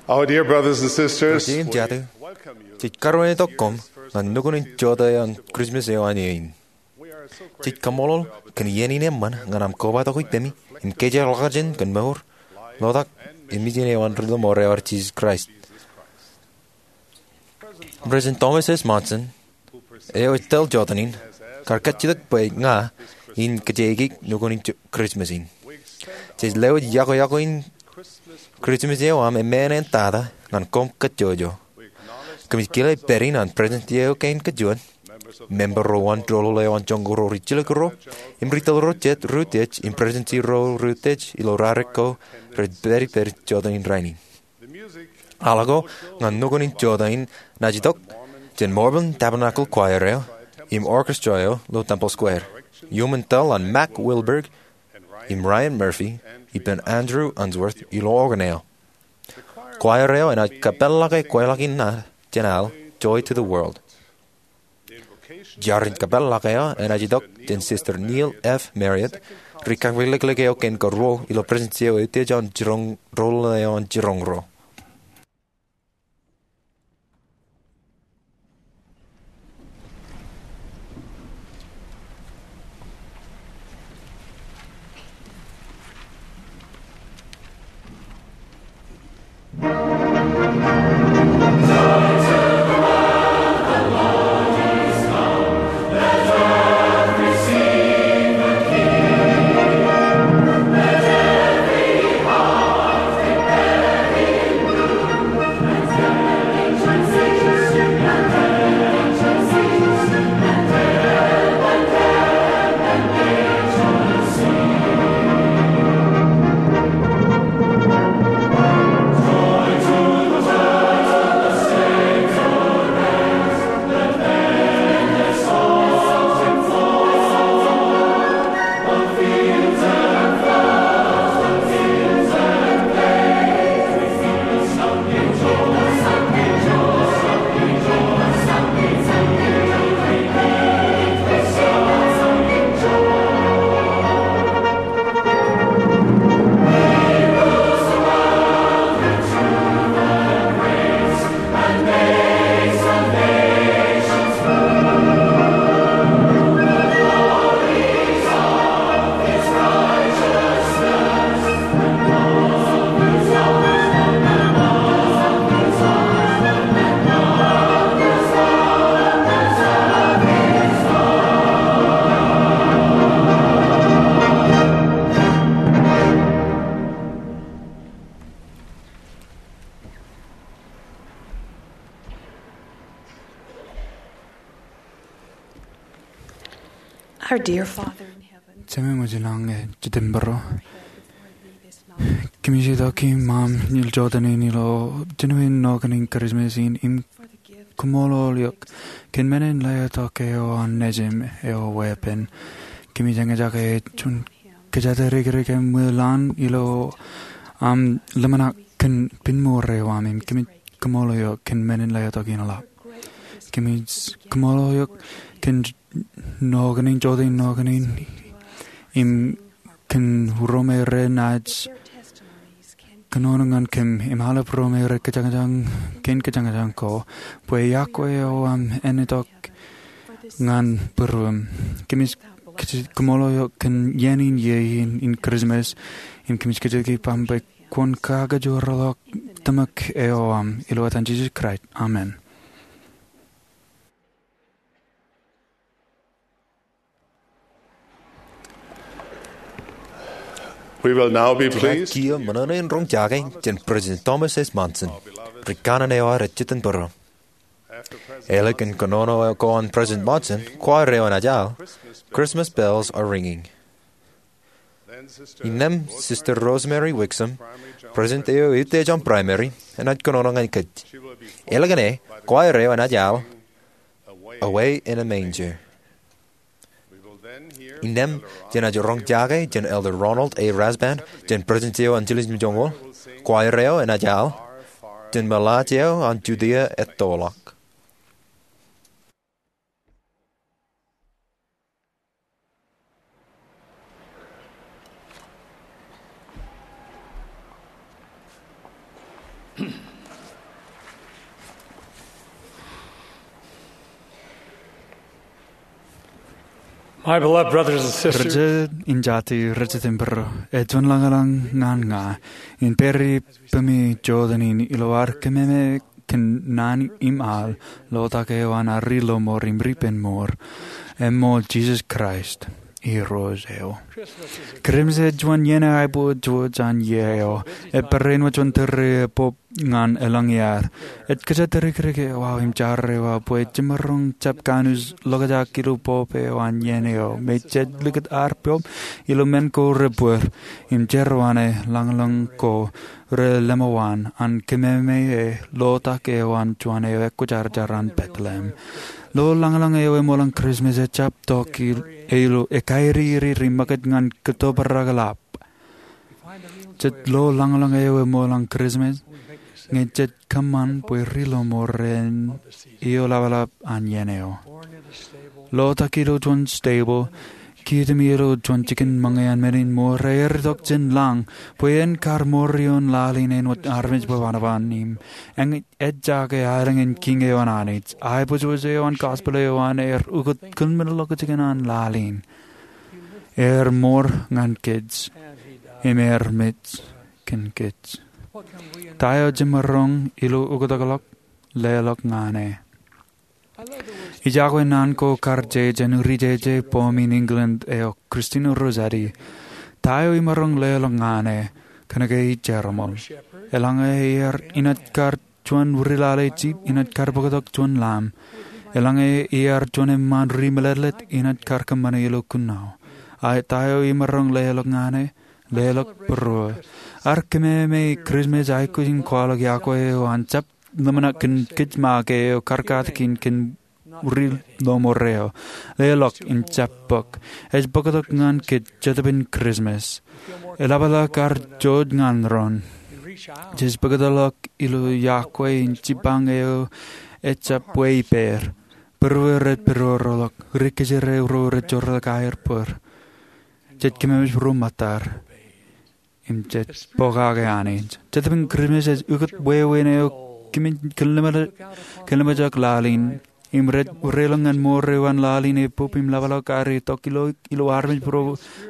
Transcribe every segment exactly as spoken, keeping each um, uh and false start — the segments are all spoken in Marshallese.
Our dear brothers and sisters, Kar jeiū im jatū, jej karuwaintok koṃ ñan nukun in jota eo an Christmas eo an eō in. Jej kaṃṃoolol kōn iien in eṃṃan ñan aṃ kobatok ippemi im kōjeḷā ḷọkjeṇ kōn mour, lotak, im ijin eo an Ri-lọmọọr eo ad Jesus Christ. President Thomas S. Monson, eo ej tōl jotenin, kar kajjitōk bwe ña in kōjeañ nukun in Christmas in. Jej lewōj yokwe yokwe in Christmas eo aṃ emān eṇ tata ñan koṃ kajjojo. Kōmij kile pād in an President eo kein kajuon, member ro wōn doulul eo an joñoul ro rijjilōk ruo, im ri tōl ro jet ri utiej im presidency ro ri utiej ilo rarik ko rej pād ippād jotenin rainin. Al ko ñan nukun in jota in enaaj itok jān Mormon Tabernacle Choir eo im orchestra eo ilo Temple Square. Iuṃwin tōl an Mack Wilberg im Ryan Murphy ippān Andrew Unsworth ilo organ eo. Choir eo enaaj kōpeḷḷọke kweilọk in ad jān al Joy to the World. Jar in kōpeḷḷọk eo enaaj itok jān Sister Neal F. Marriott, ri kakaḷōklōk eo kein karuo ilo presidency eo utiej an jiroñ, doulul eo an jiroñ ro. Our dear Father in heaven, Jemem eo ej lañe, Jetōb ṃōrro, kōmij itok iṃaan ilo jotenin ilo jinoin nokane in Christmas in im kaṃṃoolol eok kōn men in letok eo an Nejūṃ eo weeppān. Kōmij eñjake juon kōjatdikdik im ṃwilaḷ ilo aṃ ḷōmṇak kōn piṃoor eo aṃ im kōmij kaṃṃoolol eok kōn men in letok in ḷọk. Kōmij kaṃṃoolol eok kōn nokane in, jota in nokane in, im kōn ro me renaaj kōnono ñan kōm im aolep ro me rej kōjañjañ kōn kōjañjañ ko bwe iọkwe eo aṃ en itok ñan būruōṃ. Kōmij kaṃṃoolol eok kōn iien in iiō in, in Christmas, im kōmij kōjatdikdik ippaṃ bwe kwōn kakajoorḷọk tōmak eo aṃ, ilo etan Jisōs Kraist, amen. We will now be pleased. Kiiō ṃōṇōṇō in roñjake jān President Thomas S. Monson, ri kanaan eo ad ej jitōnbōro. Ālikin kōnono ko an President Monson, choir eo enaaj al Christmas Bells Are Ringing. Innām Sister Rosemary Wixom, president eo utiej an Primary, enaaj kōnono ñan kōj. Ālikin e, choir eo enaaj al Away in a Manger. Innām jenaaj roñjake jān Elder Ronald A. Rasband jān presidency eo an Angeles im joñoul. Choir eo enaaj al Jān Ṃōḷaaj eo an Judia Ettoḷọk. My beloved brothers and sisters, rijjān in jatū, rijjān in būruō, ej juon lañlōñ ñan ña in pād ippaṃ jota in ilo ad kememej kōn naan im al, lotak eo an ad ri-lọmọọr im ri-penmour, eṃṃool Jisōs Kraist Irooj eo. Kūrjimej ej juon iien eo aiboojoj jān iiō eo. Ej barāinwōt juon tōre epop ñan elōñ iaad. Ej kōjatdikdik eo aō im jar eo aō bwe jiṃroñ jab kanooj ḷokjak ilo pop eo an iien eo. Im jej likūt ad pop ilo men ko rebōd im jerbal lañlōñ ko relōmọọr an kememej e lotak eo an juon eo ekwōjarjar an Bethlehem. Lo lañlōñ eo eṃool an Kūrjimej ejjab tok ilo ekaerere im ṃakūt ñan kōttōpar ḷap. Jej lo lañlōñ eo eṃool an Kūrjimej ñe jej kōṃṃan bwe ri-lọmọọr in iiō ḷapḷap an iien eo. Lotak ilo juon stable, kiiō im ilo juon jikin ṃōñā an men in ṃool, ear itok jān lañ bwe en kar mour ioon laḷ in āinwōt armej bwe banoban im ej jake aelōñ in Kiiñ eo an Anij. Aiboojoj eo an gospel eo an ear ukōt kōmeḷeḷe jikin an laḷ in. Ear mour ñan kōj im ear mej kōn kōj. Ta eo jiṃroñ ilo ukōtḷọk leḷọk ñan e? Ij iọkwe naan ko kar je jān ri-jeje bōm in England eo Christina Rossetti. Ta eo imaroñ leḷọk ñan e? Kōnke ij jerbal. Eḷaññe ear inaaj kar juon ri-lale jip, inaaj kar bōktok juon lam. Eḷaññe ear juon eṃṃaan ri-meḷeḷe, inaaj kar kōṃṃane ilo kuṇaō. Ak ta eo imaroñ leḷọk ñan e? Leḷọk būruō. Ad kememej Kūrjimej aikuj in kwaḷọk iọkwe eo an jab ḷōmṇak kōn kōj make eo karkatōk in kōn ri-lọmọọr eo. Leḷọk im jab bōk. Ej bōktok ñan kōj Jetōb in Kūrjimej. Eḷapḷọk ad jouj ñan doon. Jej bōktok ilo iọkwe in jipañ eo ejjab bwe ippāer. Būruō rej pād ro ḷọk, ri-kōjro ro rej jorrāān aer bōd. Jej kememej ro ṃōttad im jej pokake Anij. Jetōb in Kūrjimej ej ukōt wāween eo kōmij kōn lemej, kōn lemejak laḷ in. Im rej, reilọk ñan mour eo an laḷ in epop im ḷapḷọk ad itok ilo, ilo armej bwe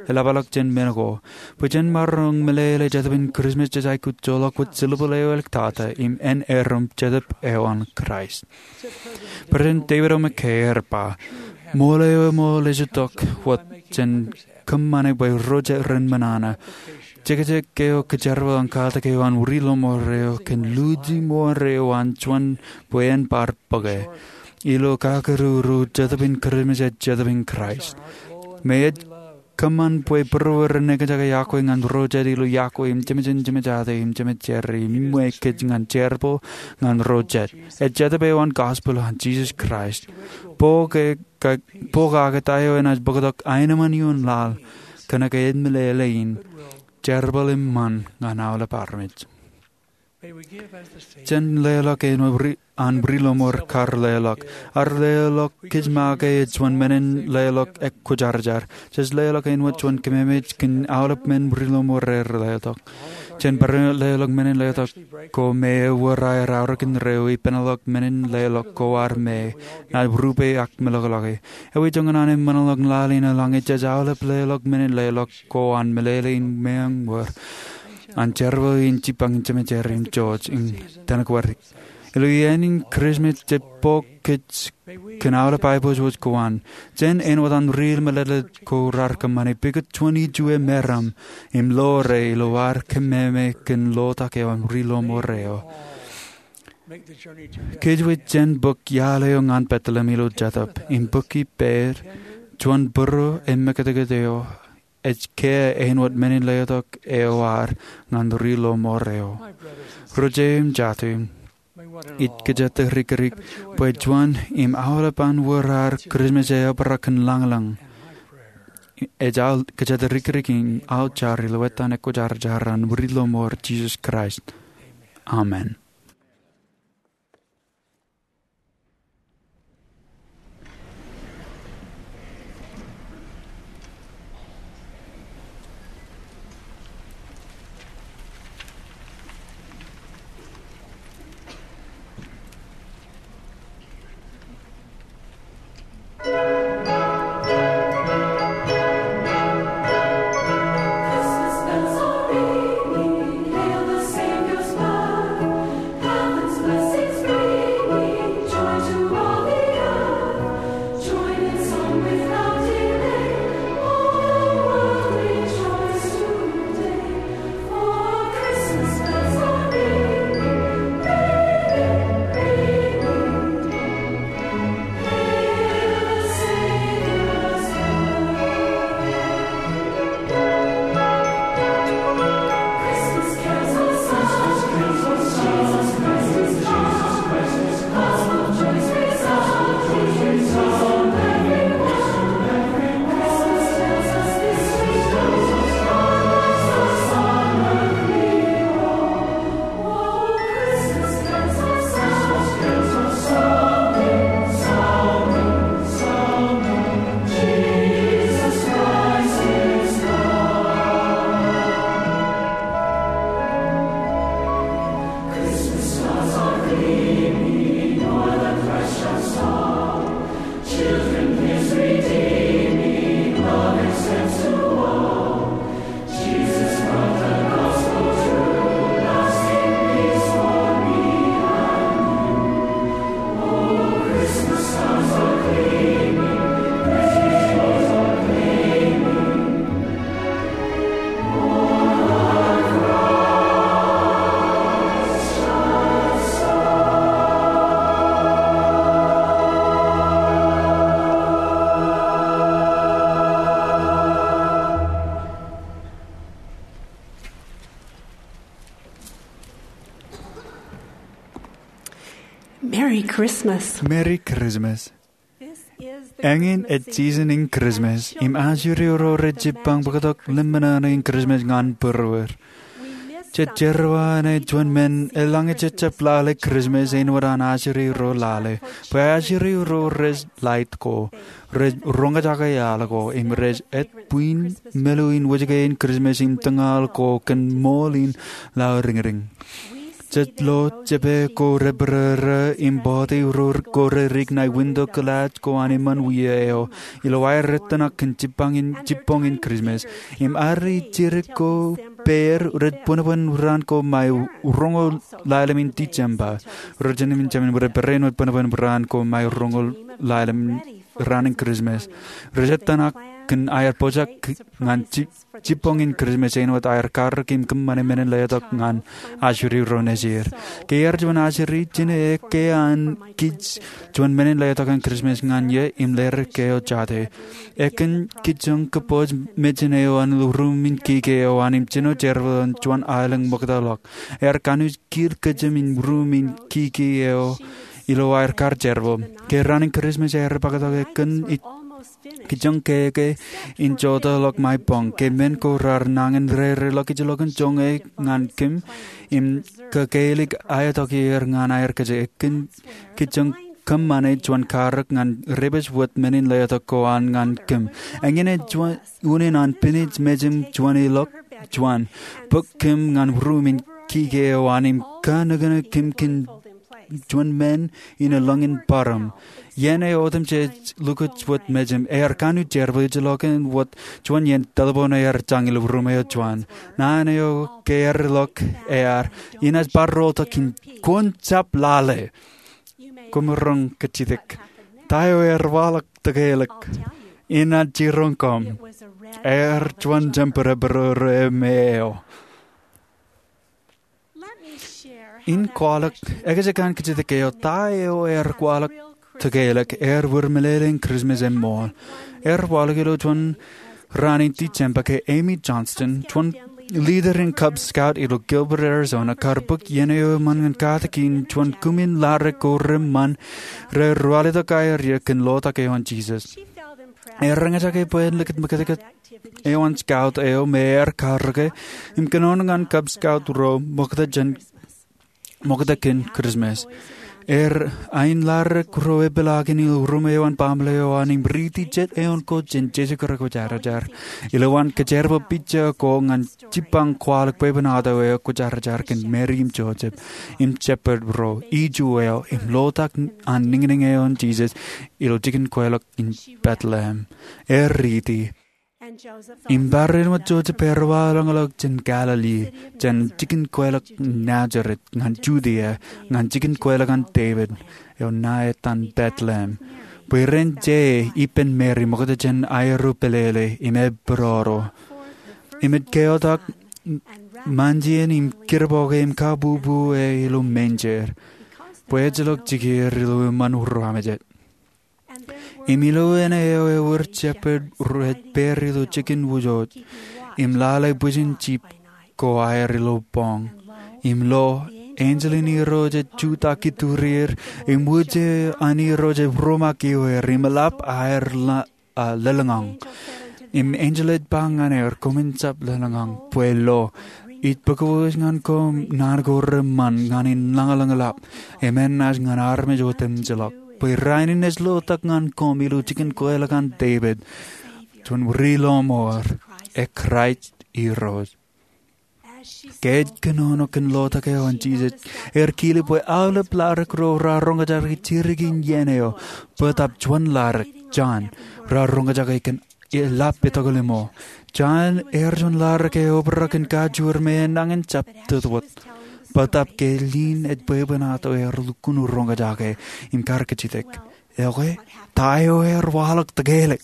ren ḷapḷọk jān men ko. Bwe jen maroñ meḷeḷe Jetōb in Kūrjimej jej aikuj joḷọk wōt silver eo āliktata im en erom Jetōb eo an Kraist. President David O. McKay ear ba, ṃool eo eṃool ej itok wōt jān kōṃṃane bwe ro jet ren ṃōṇōṇō. Jekjek eo kōjerbal an katak eo an ri-lọmọọr eo kōn luuji mour eo an juon bwe en bar bōke. Ilo kakūrūrū, Jetōb in Kūrjimej ej Jetōb in Kraist. Im ej kōṃṃan bwe būruō ren ekjake iọkwe ñan ro jet ilo iọkwe im jemān jemān jemān jemān jemān im ṃōk kōj ñan jerbal ñan ro jet. Ej Jetōb eo an gospel an Jisōs Kraist. Bōk e ka, pokake ta eo enaaj bōktok aenōṃṃan ioon laḷ, kōnke ej meḷeḷe in, jerbal eṃṃan ñan aolep armej. Jen leḷọk āinwōt ri-, an ri-lọmọọr kar leḷọk. Ad leḷọk kōj make ej juon men in leḷọk ekwōjarjar. Jej leḷọk āinwōt juon kememej kōn aolep men ri-lọmọọr rej leḷọk. Jen barāinwōt leḷọk men in leḷọk ko me ewōr aer aorōk indeeo, ipeṇ ḷọk men in leḷọk ko ad me, naaj rupe ak meḷọkḷọke. Ewi joñan an eṃṃanḷọk laḷ in eḷaññe jej aolep leḷọk men in leḷọk ko an meḷeḷe in meañ wōr an jerbal in jipañ jemān im jouj in tōmak wōr. Ilo iien in Kūrjimej jej bōk kōj kōn aolep aiboojoj ko an. Jen āinwōt an ri-meḷeḷe ko raar kōṃṃane, pukot juon ijue meram im ḷoore ilo ad kememej kōn lotak eo an ri-lọmọọr eo. Kōjwōj jen bōk iaḷ eo ñan Bethlehem ilo Jetōb, im bōk ippāer, juon būruō im mekūtkūt eo ej kiiō āinwōt men in leḷọk eo ad ñan ri-lọmọọr eo. Ri-jeje im jatū, ij kōjatdikdik bwe juon im aolep an wōr ad Kūrjimej eobrak kōn lañlōñ. Ij kōjatdikdik im aō jar ilo etan ekwōjarjar an ri-lọmọọr Jisōs Kraist. Amen. Merry Christmas. Merry Christmas. Eñin ej season in Christmas im ajri ro rej jibbañ bōktok lemñoul in Christmas ñan būruod. Jej jerbal ṇe juon men eḷaññe jej jab lale Christmas āinwōt an ajri ro lale, bwe ajri ro rej laid ko, rej roñjake al ko im rej et buin meḷeḷe in wōjke in Christmas im tōñal ko kōn ṃool in laḷ riñriñ. Jej lo jepe ko rebōrōrō im bọọte ro ko rerik ṇae window glass ko an eṃṃan wia eo ilo aer ettōṇak kōn jibboñ in Christmas. Im arri jidik ko pād rej bōnbōn raan ko ṃae roñoul ḷalem in December. Rej jemān bōd rej bōnbōn raan ko ṃae roñoul ḷalem raan in Christmas. Rej ettōṇak kōn aer pojak ñan jibboñ in Christmas āinwōt aer karōk im kōṃṃane men in letok ñan ajri ro nejid. Ke ear juon ajri, jineke an kij juon men in letok in Christmas ñan ie im ledik eo jate. Ekōn kijjien kōpooj mejān eo an ilo ruum in kiki eo an im jino jerbal in juon aelōñ ṃoktaḷọk. Ear kanooj kil kōjām in ruum in kiki eo ilo aer kar jerbal. Ke raan in Christmas ear bōktok ekōn kijjien keke in jotaḷọk ṃae boñ ke men ko raar nañin reireḷọk ijellọkin joñe ñan kōm im kōkeelik aetok er ñan aer kōjek. Ekōn kijjien kōṃṃane juon karōk ñan rej pād wōt men in letok ko an ñan kōm. Eñin ej unin an pinej mejān juon ilọk juon bōk kōm ñan ruum in kiki eo an im kanōkōnōk kōm kōn juon men in elōñ in bōrom. Iien eo otemjej lukkuun wōt mejān, ear kanooj jerbal ijellọkin wōt juon iien telephone ear jañ ilo ruum eo juon. Naan eo ke ear ilọk ear, inaaj bar rooltok kōn kwōn jab lale. Koṃ roñ kajjitōk. Ta eo ear waḷọk tōkeḷọk? Inaaj jiroñ koṃ. Ear juon jemper rebōrōrō me eo. In kwaḷọk ekajjik an kajjitōk eo, ta eo ear kwaḷọk tōkeḷọk, ear wōr meḷeḷe in Christmas eṃṃool. Ear waḷọk ilo juon raan in December ke Amy Johnston, juon leader in Cub Scout ilo Gilbert, Arizona, kar bōk iien eo eṃṃan ñan katakin juon kūmin laḷ ko reṃṃan rej ruwalitōk aer ie kōn lotak eo an Jesus. Ear roñjake bwe en likūt ṃōkajkōt eo an scout eo me ear karōke im kōnono ñan Cub Scout ro ṃokta jān ṃokta kōn Christmas. Ear ain laḷ ro epeḷaakin ilo ruum eo an baaṃle eo an im riiti jet eoon ko jān jesekūrok kwōjarjar. Ilowaan kōjerbal pija ko ñan jibbañ kwaḷọk bwebwenato eo kwōjarjar kōn Mary im Joseph im shepherd ro, iju eo im lotak an niñniñ eo an Jesus ilo jikin kweilọk in Bethlehem. Ear riiti. Im barāinwōt Joseph ear waḷọkḷọk jān Galilee, jān jikin kweilọk Nazareth ñan Judea, ñan jikin kweilọk an Devid eo ṇa etan Bethlehem, bwe ren je ippān Mary ṃokta jān aerro pālele im epodoro, im ej keotak manjien im kūrboke im kabubu e ilo manger, bwe ejjeḷọk jikier ilo eṃṃan ruwamājet. Im ilo ṇe eo ewōr shepherd rej pād ilo jikin wūjooj im lale bwijin jip ko aer ilo boñ. Im lo, enjeḷ in Irooj ej jutak iturier, im wūje an Irooj ej romakioer, im eḷap aer lōḷñọñ. Im enjeḷ ej ba ñan er, koṃwin jab lōḷñọñ, bwe lo, ij bōk wōj ñan koṃ naan ko reṃṃan ñan in lañlōñḷap im enaaj ñan armej otemjeḷọk, bwe rainin ej lotak ñan koṃ ilo jikin kweilọk an Devid, juon ri-lọmọọr, e Kraist Irooj. Ke ej kōnono kōn lotak eo an Jesus, ear kile bwe aolep laḷ ro raar roñjake jidik in iien eo, bōtab juon laḷ, John, raar roñjake kōn eḷap etokḷimo. John ear juon laḷ eo obrak in kajoor me enañin jab tōtwōt. Bōtab ke lin ej bwebwenato ear lukkuun roñjake im kar kajjitōk. Okay, ta eo ear waḷọk tōkeḷọk?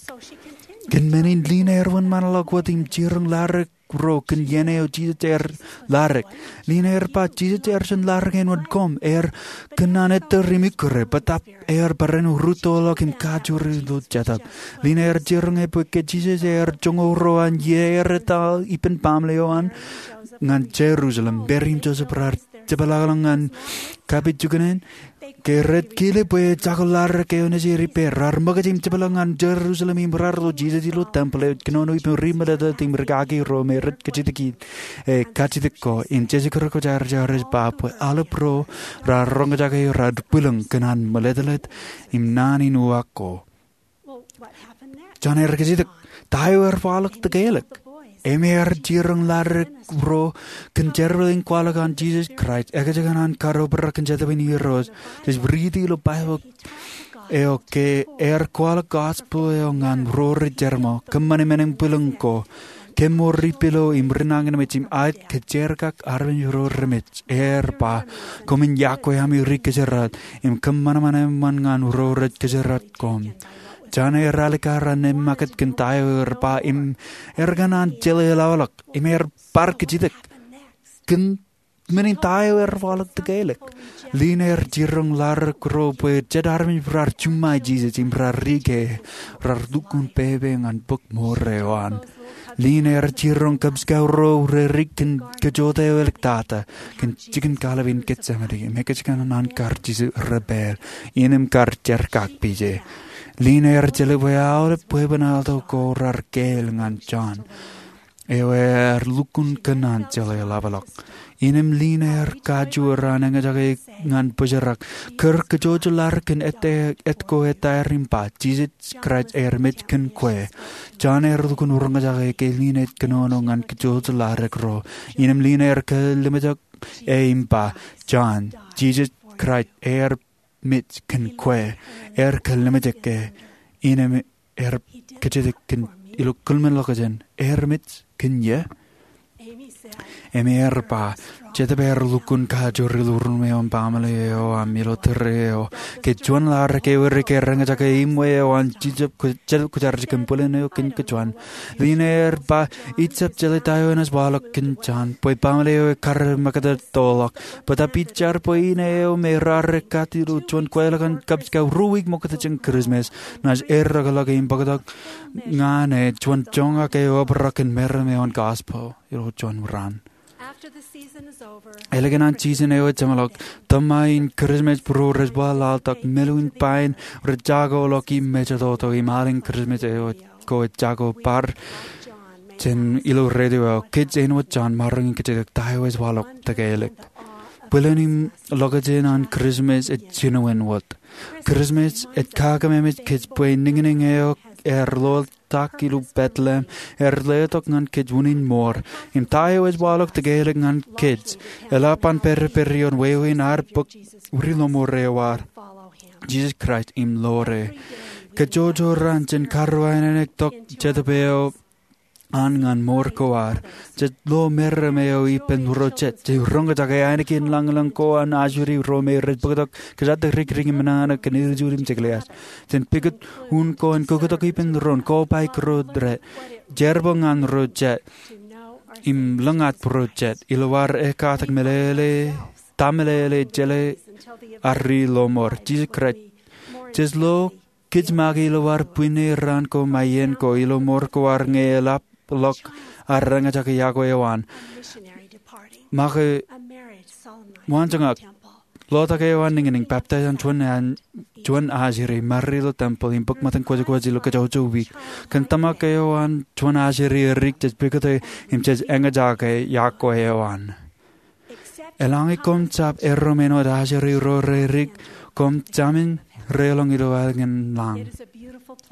Kōn men in lin ear wōnṃaanḷọk wōt im jiroñ laḷ ro kōn iien eo Jesus ear laḷ. Lin ear ba Jesus ear juon laḷ āinwōt koṃ, ear kōnnaan ettōr im ikkure, bōtab ear barāinwōt rūttoḷọk im kajoor ilo jetōb. Lin ear jiroñ e bwe ke Jesus ear joñoul ruo an iiō ear etal ippān baaṃle eo an ñan Jerusalem, Mary im Joseph raar jepḷaakḷọk ñan kapijuknen, ke rej kile bwe jako laḷ eo nejū ej ippāer. Raar ṃōkaj im jepḷaak ñan Jerusalem im raar lo Jisōs ilo tempeḷ eo ej kōnono ippān ri meletlet im rikaki ro me rej kajjitōk e kajjitōk ko. Im Jisōs Kūrjin ej ba bwe aolep ro raar roñjake raar bwilōñ kōn an meletlet im naan in uwaak ko. Jen aer kajjitōk, ta eo ear waḷọk tōkeelōk? Im ear jiroñ laḷ ro kōn jerbal in kwaḷọk an Jisōs Kraist, ekajokan an kadeobrak in Jetōb in Irooj. Jej riiti ilo Baibōḷ eo ke ear kwaḷọk gospel eo ñan ro rej jerbal, kōṃṃani men in bwilōñ ko, kōṃṃan ri pilo im ri nañinmej im aet kōjerakak armej ro remej. Ear ba, koṃwin yokwe ami ri kōjeraaṃṃan im kōṃṃan eṃṃan ñan ro rej kōjeraaṃṃan koṃ. Jen aer alikkar an nōṃṃakūt kōn ta eo ear ba im ear kōṇaan jeḷā ḷapḷọk im ear bar kajjitōk kōn men in ta eo ear waḷọk tōkeelōk. Lin aer jiroñ laḷ ro bwe jet armej raar juṃae Jisōs im raar rike, raar lukkuun pepe ñan bōk ṃool eo an. Lin aer jiroñ Cub Scout ro rerik kōn kōjota eo eḷḷoktata kōn jikin kaḷap in Getsemane im ekajokan an kar jisō ri pād in im kar jerkakpeje. Lin aer jeḷā bwe aolep bwebwenato ko raar keel ñan Jon eo ear lukkuun kōṇaan jeḷā ḷapḷọk. Im lin aer kajoor an eñjake ñan bōjrak, kar kōjojlaḷ kōn āt ko ettaer im ba, Jisōs Kraist ear mej kōn kwe. Jon ear lukkuun roñjake ke lin ej kōnono ñan kōjojlaḷ ro. Im lin aer kallimjek e im ba, Jon, Jisōs Kraist ear mej kōn kwe, ear kallimjek e, im ear kajjitōk kōn ilo kōḷmānḷọkjeṇ, ear mej kōn ie? Im ear ba, Jetōb ear lukkuun kajoor ilo ruṃ eo im baaṃle eo aṃ ilo tōre eo, ke juon laḷ eo ke ear eñjake iṃwe eo an Jetōb Kwōjarjar kōn bōlen eo kōn kōjuon. Lin ear ba, ij jab jeḷā ta eo enaaj waḷọk kōn Jon, bwe baaṃle eo ekar ṃōkaj tok ḷọk. Bōtaab ij jar bwe ine eo me raar ekkat ilo juon kweilọk an Cub Scout ruo wiik ṃokta jān Christmas, naaj errọkḷọk im bōktok ñan e juon joñak eo obrak kōn meram eo an gospel ilo juon raan. Ālikin an season eo ej jeṃḷọk, tōṃa in Christmas būruō rej waḷaḷtak, meḷeḷe in pain rej jakoḷọk im mejatoto, im al in Christmas eo ko ej jako bar jān ilo radio eo. Kōj āinwōt Jon, maroñ in kajjitōk ta eo ej waḷọk tōkeelōk. Bōlen im ḷokjān an Christmas ej jinoin wōt. Christmas ej kakememej kōj bwe niñniñ eo ear ḷotak ilo Bethlehem ear letok ñan kōj unin mour. Im ta eo ej waḷọk tōkeelōk ñan kōj, eḷap an pād ippād ioon wāween ad bōk ri lọmọọr eo ad, Jisōs Kraist, im ḷoore. Kōj kajjojo raan jen karuwainene tok Jetōb eo an ñan mour ko ad. Jej lo meram eo ippān ro jet. Jej roñjake ainikien lañlōñ ko an ajri ro me rej bōktok kōjatdikdik im ṇaṇōk kōn ijin im jeklias. Jen pukot un ko en kōktak ippān doon, kobaik ro jet, jerbal ñan ro jet, im lōñatdikdik ro jet ilo ad ekkatak meḷeḷe, ta meḷeḷe jeḷā ad ri lọmọọr, Jisōs Kraist. Jej lo kōj make ilo ad bwinne raan ko im iien ko ilo mour ko ad ñe eḷapḷọk ad eñjake yokwe eo an. Make waanjoñak, ḷotak eo an niñniñ, baptize an juon, an juon ajri, married ilo tempeḷ, im bōk ṃōttan kwōjkwōj ilo kajjojo wiik. Kōn tōmak eo an juon ajri edik, jej pukot e im jej eñjake yokwe eo an. Eḷaññe koṃ jab erom āinwōt ajri ro redik, koṃ jāmin reḷọñ ilo ālikin lañ.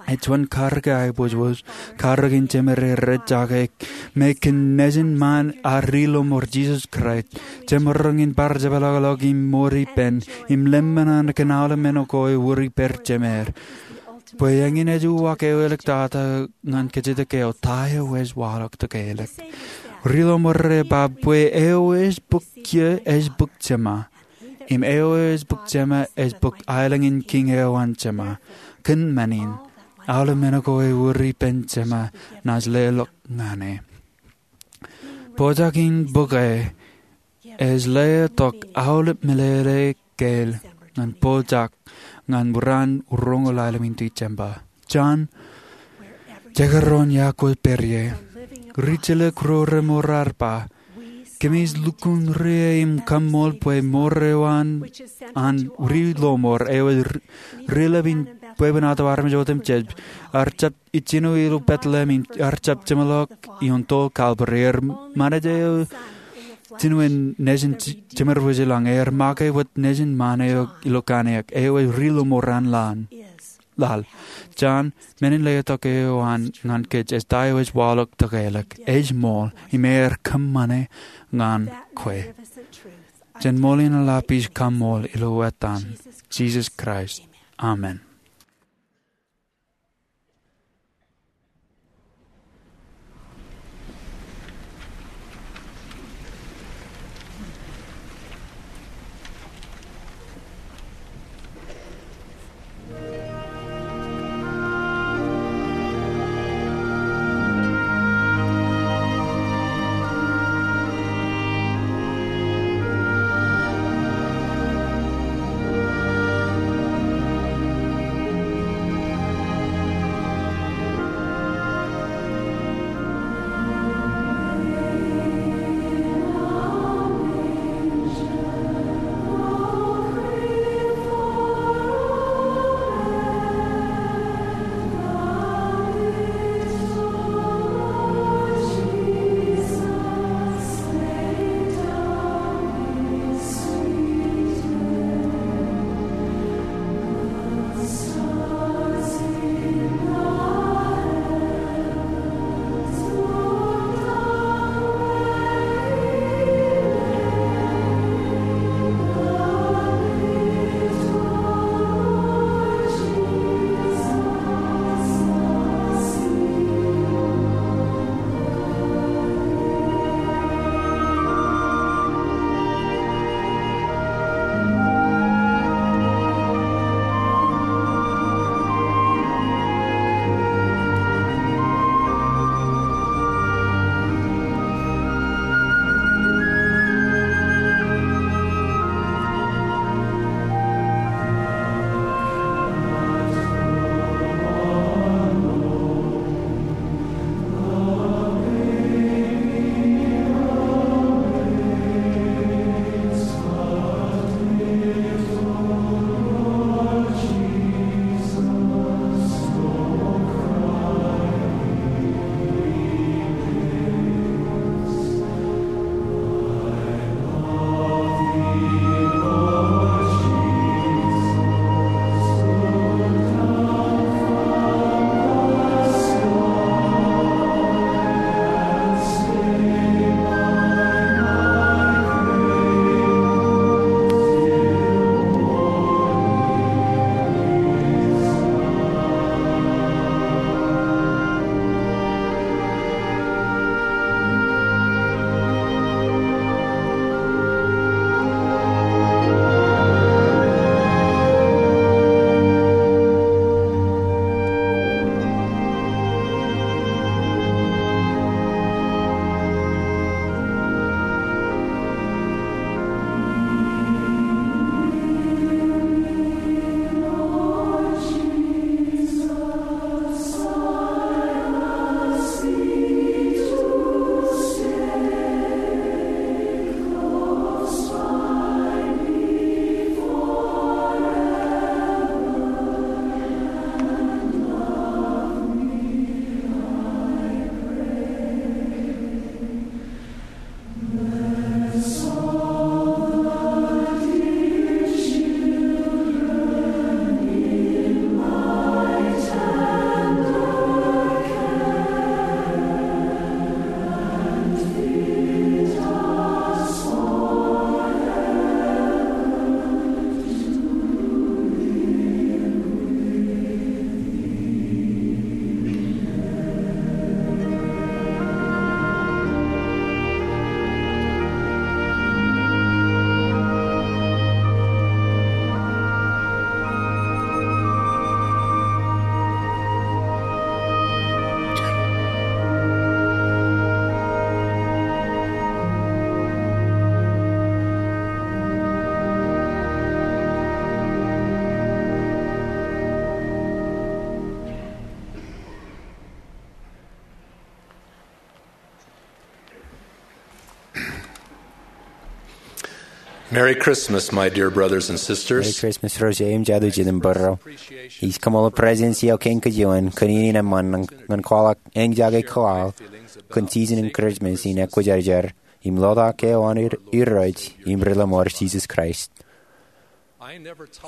Ej juon karōk eo aiboojoj, karōk in jemed eo rej jake, me kōn nejin ṃaan ad ri lọmọọr Jisōs Kraist. Jemaroñ in bar jepḷaakḷọk im mour ippān, im lemñan kōn aolep men ko ewōr ippād jemed. Bwe eñin ej uwaak eo eḷḷoktata ñan kajjitōk eo, ta eo ej waḷọk tōkeelōk. Ri lọmọọr rej ba bwe eo ej bōk kiiō ej bōk Jema, im eo ej bōk Jema ej bōk aelōñ in kiiñ eo an Jema. Kōn men in, aolep men ko ewōr ippān Jema naaj leḷọk ñan e. Pojak in bōk e ej letok aolep meḷeḷe keel ñan pojak ñan raan roñoul aelōñ in December. Jen jekdọọn iọkwe pād ie. Ri jilōk ro remour ar ba, Kōmij lukkuun ri-e im kaṃṃool bwe mour eo an, an ri-lọmọọr eo ej ri-, ri-lep in bwebwenato armej otemjej, ear jab ijjino ilo Bethlehem im ear jab jeṃḷọk ioon toḷ Kalvari. Ear ṃanij eo jinen nejin j-, jemed wōj ilañ. Ear make wōt nejin ṃaan eo ilo kanniōk, eo ej ri-lọmọọr an laḷ. Laḷ. Jon, men in letok eo an ñan kōj ej ta eo ej waḷọk tōkeḷọk. Ej ṃool, im ear kōṃṃane ñan kwe. Jen ṃool in eḷap ij kaṃṃool ilo etan Jisōs Kraist. Amen. Merry Christmas, my dear brothers and sisters. Merry Christmas ro jeiū im jatū jitōnbōro. Ij kaṃṃoolol President C. L. King kōj ioon kōn iien in eṃṃan ñan kwaḷọk eñjake kwaḷ kōn season in Christmas in ekwōjarjar im lotak eo an Irooj im Ri-Lọmọọr Jisōs Kraist.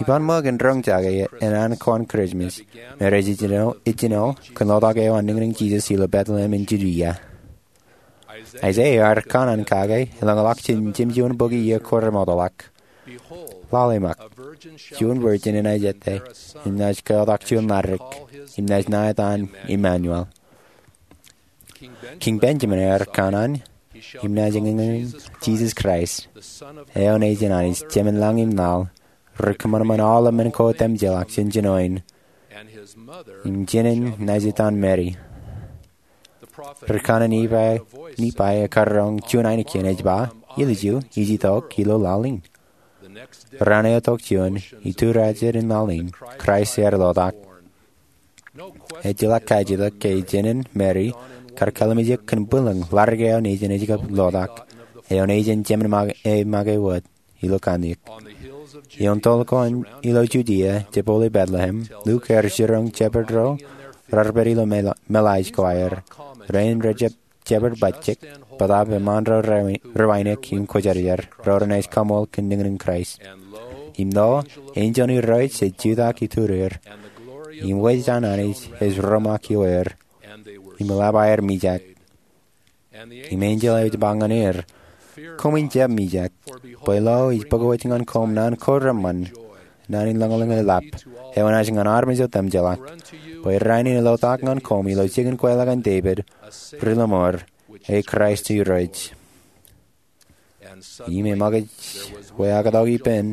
Iban ṃōk in roñjake ānaan ko an Christmas me rej ijjino kōn lotak eo an niñniñ Jisōs ilo Bethlehem in Judea. Isaiah ear kanaan kake eḷañḷọk jān jemjuon bok iiō ko remootḷọk. Lale ṃōk, juon virgin enaaj ettā im naaj keotak juon ladik, im naaj naet an Emmanuel. King Benjamin ear kanaan, im naaj eñin Jisōs Kraist, eo nejin Anij, Jemān lañ im laḷ, ri kōṃanṃan aolep men ko etemjeḷọk jān jinoin, im jinen naaj etan Meri. Ri kanaan Nifai ekkar roñ juon ainikien ej ba, ilju ij itok ilo laḷ in. Raan eo tok juon, ituriajet in laḷ in, Kraist ear lotak. Ejjeḷọk kajitok ke jinen Meri kar kallimjek kōn bwilōñ ladik eo nejin ej kab lotak, eo nejin Jemān make wōt ilo kanniōk. Ioon toḷ ko an ilo Judia, jepoli Bethlehem, Luk ear jiroñ jeped ro rar pād ilo meḷaaj ko aer. Rein rejjab jeped bajjek, bōtaab eṃṃaan ro rewainek im kwōjarjar, ro renaaj kaṃool kōn niñniñ Kraist. Im lo, enjeḷ in Irooj ej jutak iturir, im wōj an Anij ej romaak ioer, im eḷap aer mijak. Im enjeḷ eo ej ba ñan er, koṃwin jab mijak, bwe lo, ij bōkowōj ñan koṃ naan ko reṃṃan, naan in lañlōñ eḷap, eo enaaj ñan armej otemjeḷọk. Bwe rainin elotak ñan koṃ ilo jikin kweilọk an Devid, Ri-Lọmọọr, e Kraist Irooj. Im eṃōkaj wāween ippān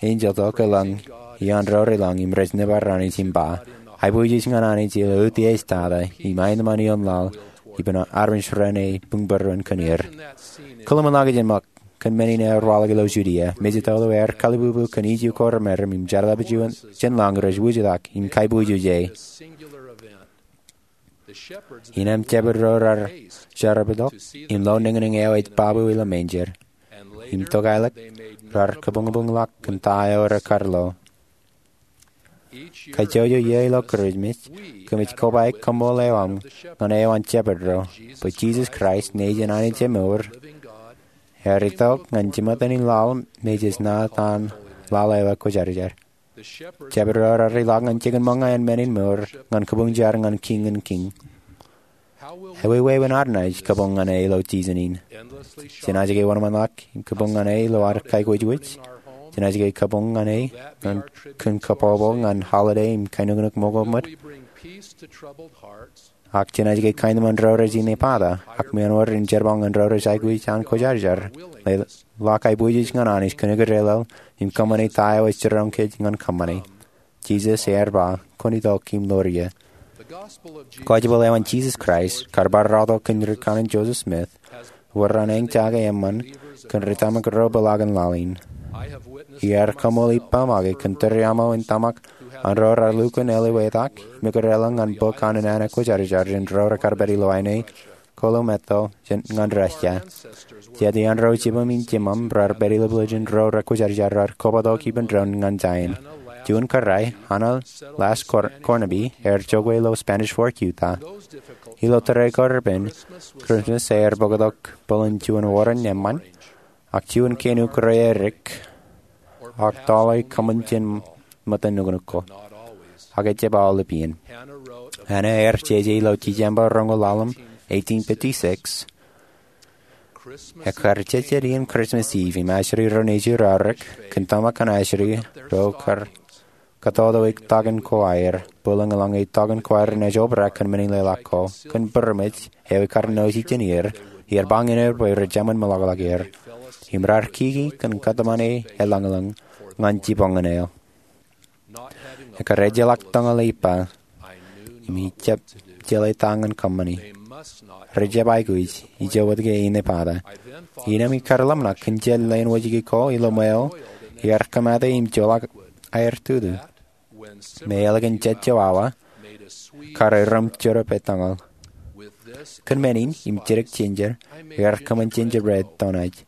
enjeḷ tok elōñ iaan ro relōñ im rej nōbar Anij im ba, aiboojoj ñan Anij ilo utiej tata, im aenōṃṃan ioon laḷ ippān armej ro renaaj buñbūruon kōn er. Kōḷmānḷọkjeṇ ṃōk kōn men in ear waḷọk ilo Judia, mejatoto ear kalbubu kōn iju ko remereṃ im jerbal jān lañ rej wūjtak im kaiboojoj e. Innem jeped ro rar jerbal tok im lo niñniñ eo ej babu ilo manger, im tokālik rar kabuñbuñḷọk kōn ta eo rekar lo. Kajjojo iiō ilo Christmas, kōmij koba koṃṃool eo aṃ ñan eo an jeped ro, bwe Jisōs Kraist nejin Anij emour, ear itok ñan jemāttan in laḷ me jej naat an laḷ eo ekwōjarjar. Jeped ro rar ilọk ñan jikin ṃōñā in men in mour ñan kabuñ jar ñan Kiiñ in kiiñ. Ewi wāween ad naaj kabuñ ñan e ilo season in? Jenaaj ke wōnṃaanḷọk im kabuñ ñan e ilo ad kaikuj? Jenaaj ke kabuñ ñan e kōn kabbokbok ñan holiday im kainuknuk ṃoktōmot? Ak jenaaj ke kaenōṃṃan ro rej inepata, ak meanwōr in jerbal ñan ro rej aikuj an kwōjarjar, ḷak aiboojoj ñan Anij kōn ikōtōllọk im kōṃṃane ta eo ej jiroñ kōj ñan kōṃṃane? Jisōs ear ba, kwōn itok im ḷoor ie. Gospel eo an Jisōs Kraist, kar bar rọọltok kōn ri kanaan Joseph Smith, wōr an eñjake eṃṃan kōn ri tōmak ro bōḷaak in laḷ in. Iar kaṃool ippa make kōn tōre aṃo in tōmak an ro rar lukkuun eliwetak im ikōtōllọk ñan bok an naan ekwōjarjar jān ro rekar pād ilo āne kōḷmānḷọkjeṇ ñan Russia. Jet iaan ro jibūṃ im jiṃṃaṃ rar pād ilo bwilōñ jān ro rekwōjarjar rar kobatok ippān doon ñan giant. Juon kōrā, Anna Last Cor-, Cornaby, ear jokwe ilo Spanish Fork, Utah. Ilo tōre ko repen, Christmas ear bōktok bōlen juon oran eṃṃan, ak juon keinuk reiadik, ak tọọle kōṃṃan jān ṃōttan nuknuk ko. Ak ejjab aolep iien. Anna ear jeje ilo December roñoul ḷalem, eighteen fifty-six. Ekkar jejjet iien Christmas Eve im ajri ro nejū raorōk kōn tōmak an ajri ro kar kōtōtōik tọkin ko aer, bōlen eḷaññe tọkin ko aer enaaj obrak kōn men in leḷọk ko, kōn būroṃōj eo ekar nōōj ijin er, iar ba ñan er bwe rej eṃṃan meḷọkḷọk er. Im rar kiki kōn kōtmāne eḷañlōñ ñan jipañ ñan e. Ekkar ejjeḷọk tōñal ippa, im ij jab jeḷā ta ñan kōṃṃane. Rej jab aikuj, ijo wōt ke inepata. Innām ikar ḷōmṇak kōn jet leen wōjke ko ilo ṃweo, iar kōmata im joḷọk aer tutu. Me ālikin jet jo awa, kar erom jorop etōñal. Kōn men in, im jidik jinjer, ear kōṃṃan gingerbread donuts,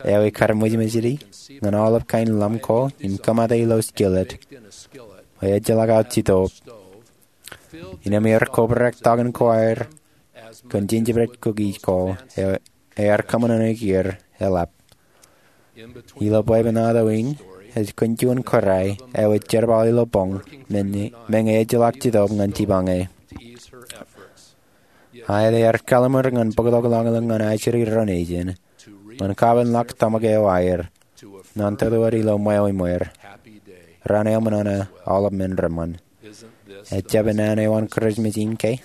eo ekar mejmejdi ñan aolep kain ḷam ko im kōmata ilo skillet eo ejjeḷọk aō jitōb. Innām ear kobrak tok in ko aer kōn gingerbread cookies ko eo ear kōṃṃan ṇe kiiō eḷap. Ilo bwebwenato in, ej kōn juon kōrā eo ej jerbal ilo boñ, meñe ejjeḷọk jitōb ñan jipañe. Aet, ear kallimur ñan bōktok ḷọñḷọñ ñan ajri ro nejin, ñan kapenḷọk tōmak eo aer, ñan tōtōt ilo ṃweo im wōr. Raan eo ṃōṇōṇō aolep men reṃṃan. Ejjab naan eo an Christmas in ke?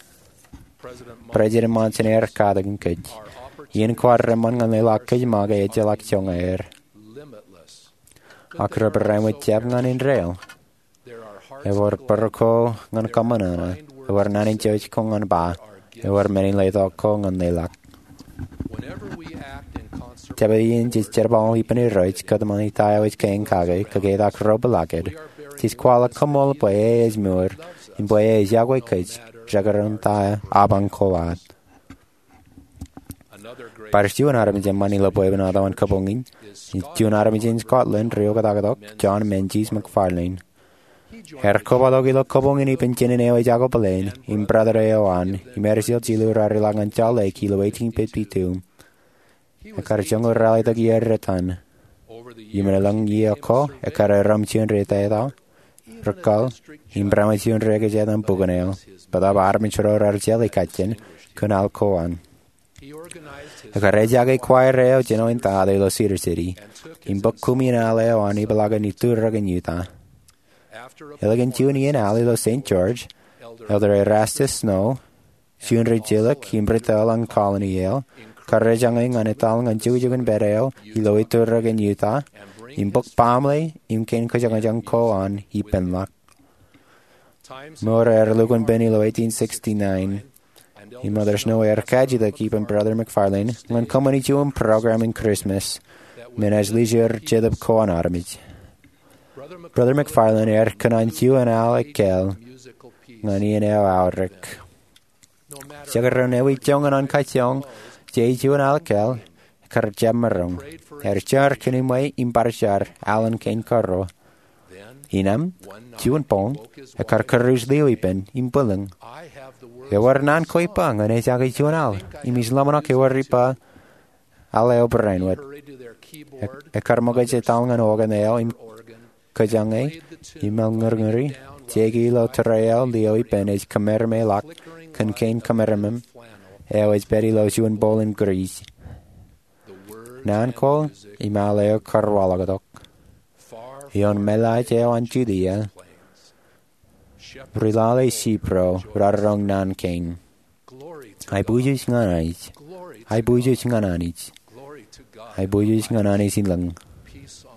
President Monson ear katakin kōj. Iien kwaar reṃṃan ñan leḷọk kōj ṃōk ejjeḷọk joñan aer. Ak rej barāinwōt jab ñan indeeo. Ewōr bōro ko ñan kōṃṃan ṇe, ewōr naan in jouj ko ñan ba, ewōr men in letok ko ñan leḷọk. Jabdewōt iien jej jerbal ippān Irooj kōtmāne ta eo ej kein kake, kōketak ro pālakid, jej kwaḷọk koṃṃool bwe e ej mour, im bwe e ej iọkwe kōj, jekdọọn ta apañ ko ad. Bar juon armej eṃṃan ilo bwebwenato an kōboñ in, ej juon armej in Scotland ri oktak tok, John Menzies McFarlane. Ear kobatok ilo kōboñ in ippān jinen eo ej akwe plane, im brother eo an, im Eddie J. Liu raar ilọk ñan Salt Lake ilo eighteen fifty-two. Ekar joñoul ralitōk iiō retan. Im elōñ iiō ko, ekar erom juon ri tata, ri kal, im bar juon ri ekjātan bukōn eo, bōtab armej ro raar jeḷā kajjien, kōn al ko an. Ekar ejake choir eo jān eo in tata ilo Cedar City, im bōk kumi in al eo an ipeḷaakin itūrōk in Utah. Ālikin juon iien al ilo Saint George, Elder Erastus Snow, juon ri jilōk im ri tōl an Colony eo, kar ejañe ñan etal ñan jukjukin pād eo ilo itūrōk in Utah, im bōk baaṃle im kein kōjañjañ ko an ippānḷọk. Mour ear lukkuun pen ilo eighteen sixty-nine, im Elder Snow ear kajjitōk ippān Brother McFarlane ñan kōṃṃani juon program in Christmas men ej lijeer jetōb ko an armej. Brother McFarlane ear kōṇaan juon al ekkāāl ñan iien eo aorōk. Jekdọọn ewi joñan an kajjioñ jej juon al ekkāāl, ekar jab maroñ. Ear jar kōn iṃwe im bar jar, alen kein kōrro. Innām, juon boñ, ekar kūruj liō ippān im bwilōñ. Ewōr naan ko ippa ñan ejake juon al, im ij ḷōmṇak ewōr ippa al eo barāinwōt. Ekar ṃōkaj etal ñan organ eo im kōjañe, im eḷ ñūrñūri, jeiki ilo tōre eo liō ippān ej kōmeremeḷọk kōn kein kōmeremem eo ej pād ilo juon bowl in grease. Naan ko im al eo kar waḷọktok. Ioon meḷaaj eo an Judia, ri lale sheep ro raar roñ naan kein. Aiboojoj ñan Anij. Aiboojoj ñan Anij. Aiboojoj ñan Anij ilōñ.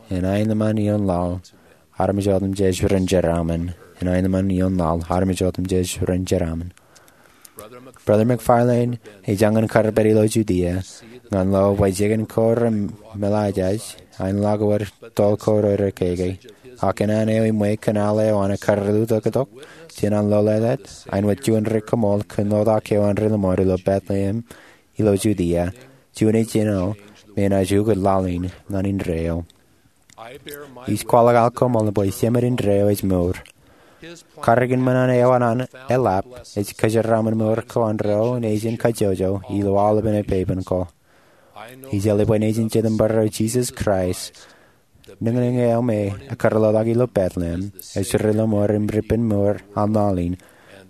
En aenōṃṃan ioon laḷ, armej otemjej ren jeraaṃṃan. En aenōṃṃan ioon laḷ, armej otemjej ren jeraaṃṃan. Brother McFarlane ej jañin kar pād ilo Judia ñan lo bwe jikin ko remeḷaajaj, aenḷọk ewōr toḷ ko rej keke. Ak kōn an eo iṃwe kōn al eo an ekar lutōktok jān an lọleḷap, āinwōt juon ri kōṃool kōn ḷotak eo an ri lọmọọr ilo Bethlehem ilo Judia, juon ejjino me enaaj ukōt laḷ in ñan indeeo. Ij kwaḷọk al koṃṃool bwe Jemān indeeo ej mour. Karreoik in ṃōṇōṇō eo an eḷap ej kōjeraaṃṃan mour ko an ro nejin kajjojo ilo aolepān epeipen ko. Ij eḷap bwe nejin Jetōb Būruo Jisōs Kraist, niñniñ eo me ekar ḷotak ilo Bethlehem, ej ri lọmọọr im ri ippān mour an laḷ in,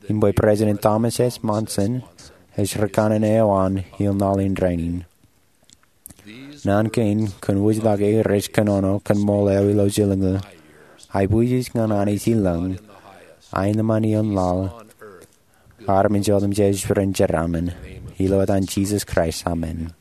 im bwe President Thomas S. Monson ej ri kanaan eo an ioon laḷ in rainin. Naan kein kōn wūjtake rej kōnono kōn ṃool eo ilo jilñuul. Aiboojoj ñan Anij ilōñ. Aenōṃṃan ioon laḷ, armej otemjej ren jeraaṃṃan. Ilo etan Jisōs Kraist, amen.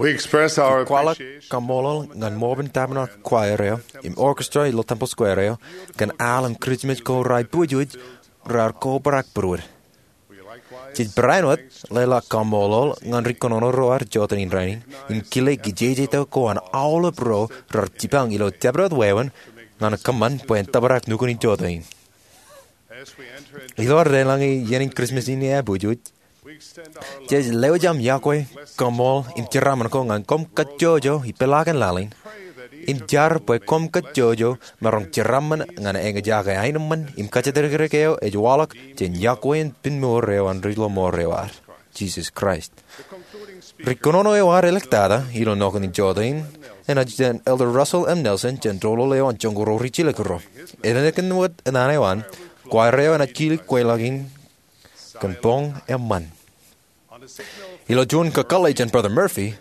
Kwaḷọk kaṃṃoolol ñan ṃoobin tabernacle choir eo im orchestra ilo Temple Square eo kōn al im Christmas ko raar aiboojoj raar kobrak būruod. Jej barāinwōt leḷọk kaṃṃoolol ñan ri kōnono ro ad joteen in rainin im kile kijejeto ko an aolep ro raar jipañ ilo jabdewōt wāween ñan kōṃṃan bwe en tōprak nukun in joteen. Ilo ad deḷọñe iien in Christmas in eaiboojoj, jej lewōj aṃ yokwe, kaṃṃool im jeraaṃṃan ko ñan koṃ kajjojo ipeḷaakin laḷ in im jar bwe koṃ kajjojo maroñ jeraaṃṃan ñan eñjake aenōṃṃan im kajatdikdik eo ej waḷọk jān yokwe in pinmour eo an ri lọmọọr eo ad, Jisōs Kraist. Ri kōnono eo ad eliktata ilo nokun in joteen enaaj jān Elder Russell M. Nelson jān doulul eo an Joñoul ri Jilkinro. Elōñ ālikin wōt naan eo an, choir eo enaaj kile kweilọk in kōn boñ eṃṃan. Ilo juon kakōḷḷe jān Brother Murphy,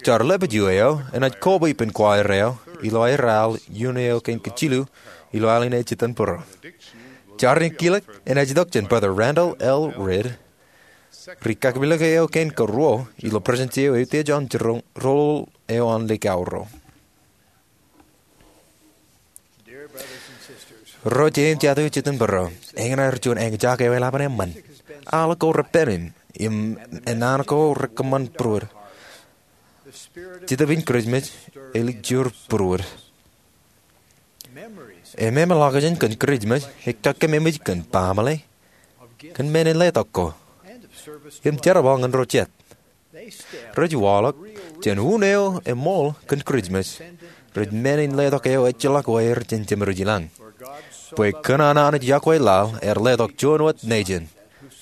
jar lepād eo enaaj koba ippān choir eo ilo aer al iien eo kein kajilu ilo al in ej itok būruō. Jar in kilōk enaaj itok jān Brother Randall L. Ridd, ri kakpilōk eo kein karuo ilo Presidency eo Eutiej an Doulul eo an Lake Auro. Ro jeiū im jatū ej itok būruō, eñin aer juon eñjake eo eḷap an eṃṃan. Al ko repen im, im naan ko rekōṃṃan būruod. Jetōb in Christmas ej ḷọk būruod. Ememej ḷọkjeṇ kōn Christmas ej kakkememej kōn baaṃle, kōn men in letok ko, im jerbal ñan ro jet. Rej waḷọk jān un eo eṃool kōn Christmas, rej men in letok eo ejjeḷọk wāween jān Jemedwōj ilañ. Bwe kōn an Anij yokwe laḷ ear letok juon wōt nejin,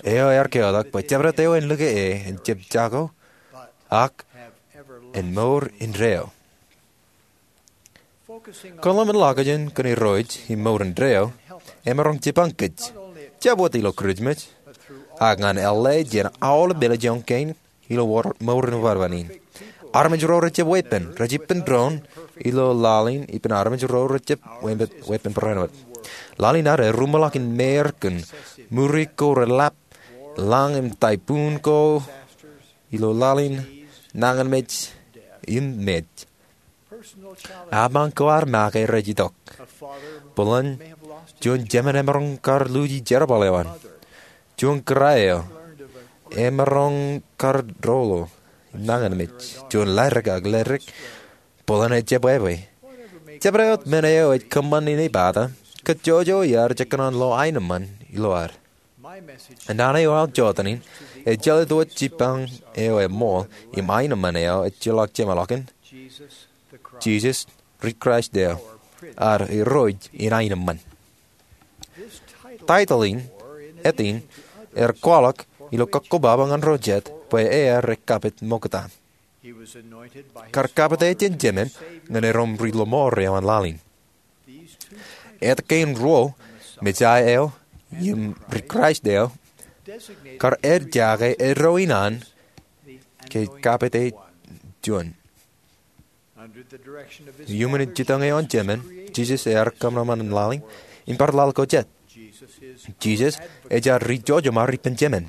eo ear keotak bwe jabdewōt eo en lōke e en jab jako, ak en mour indeeo. Kōḷmānḷọkjeṇ kōn Irooj im mour indeeo emaroñ jipañ kōj, jab wōt ilo Christmas, ak ñan L.A. jān aolep ālikin kein ilo mour in wāween in. Armej ro rejjab weeppān, rej ippān doon ilo laḷ in ippān armej ro rejjab weeppān barāinwōt. Laḷ in ad eruṃwij ḷọk in meir kōn ṃuri ko reḷap, lañ im typhoon ko ilo laḷ in, nañinmej, im mej. Apañ ko ad make rej itok. Bōlen juon jemān emaroñ kar luuji jerbal eo an. Juon kōrā eo emaroñ kar doḷo, nañinmej. Juon leddik ak leddik, bōlen ejjab wāween. Jabdewōt men eo ej kōṃṃan in epata, kajjojo iar jekōṇaan lo aenōṃṃan ilo ad. Naan eo aō joteen in ejjeḷọk wōt jipañ eo eṃool im aenōṃṃan eo ejjeḷọk jeṃḷọkin, Jisōs ri Kraist eo, ad Irooj in aenōṃṃan. Taitōḷ in, āt in, ear kwaḷọk ilo kakkobaba ñan ro jet bwe ear ekkapit ṃokta. Kar kapit e jān jemān ñan erom ri lọmọọr eo an laḷ in. Āt kein ruo, Mesaia eo im ri Kraist eo, kar ejjake eddo in an ke kapit e juon. Iuṃwin jitōñ eo an jemān, Jisōs ear kōṃanṃan laḷ in im bar laḷ ko jet. Jisōs ej ad ri jojoṃar ippān jemān.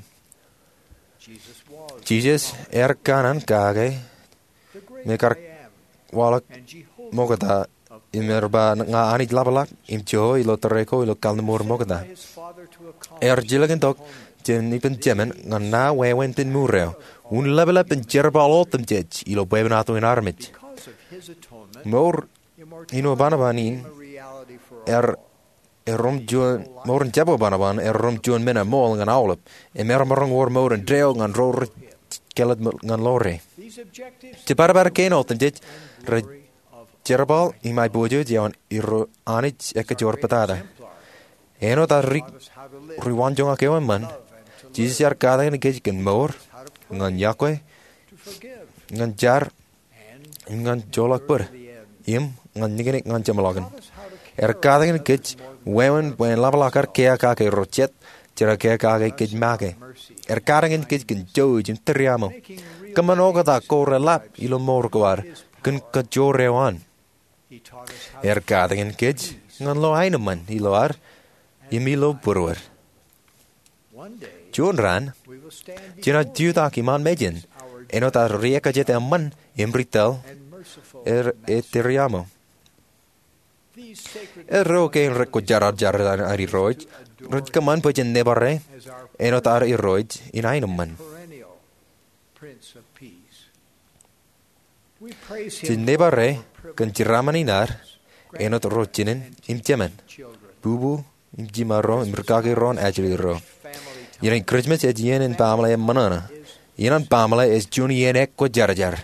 Jisōs ear kanaan kake me kar waḷọk ṃokta im ear ba, ña Anij Lapḷọk im Jeova ilo tōre ko ilo kalliṃur ṃokta. Ear jilkintok jān ippān jemān ñan naan wāween pinmour eo, un ḷapḷap in jerbal otemjej ilo bwebwenato in armej. Mour in eban ban in ear erom juon, mour in jab eban ban erom juon men eṃool ñan aolep, im ear maroñ wōr mour indeeo ñan ro rej kāālōt ñan ḷoore. Jibadbad kein otemjej rej jerbal im aiboojoj ioon Irooj Anij ekajoor pātata. Āinwōt ad ri, ri waanjoñak eo eṃṃan, Jisōs ear katakin kōj kōn mour, ñan yokwe, ñan jar, ñan joḷọk bōd, im ñan niknik ñan jeṃḷọkin. Ear katakin kōj wāween bwe en ḷapḷọk ad keakake ro jet, jera keakake kōj make. Ear katakin kōj kōn jouj im tūriaṃo. Kōṃṃan oktak ko reḷap ilo mour ko ad, kōn kajoor eo an. Ear katakin kōj ñan lo aenōṃṃan ilo ad, im ilo būruod. Juon raan, jenaaj jutak iṃaan mejān, āinwōt ad riekajet eṃṃan im ri-taḷ er, er ri-aṃo. Erro kein rej kwōjarjar an Irooj rej kōṃṃan bwe jen nōbare āinwōt ad Irooj in aenōṃṃan. Jen nōbare kōn jeraaṃṃan in ad āinwōt ro jinen im jemān, bubu im jiṃaro im rūkaki ro im ajri ro. Iien in Kūrijṃōj ej iien in baaṃle eṃṃan ṇe. Iien in baaṃle ej juon iien ekwōjarjar.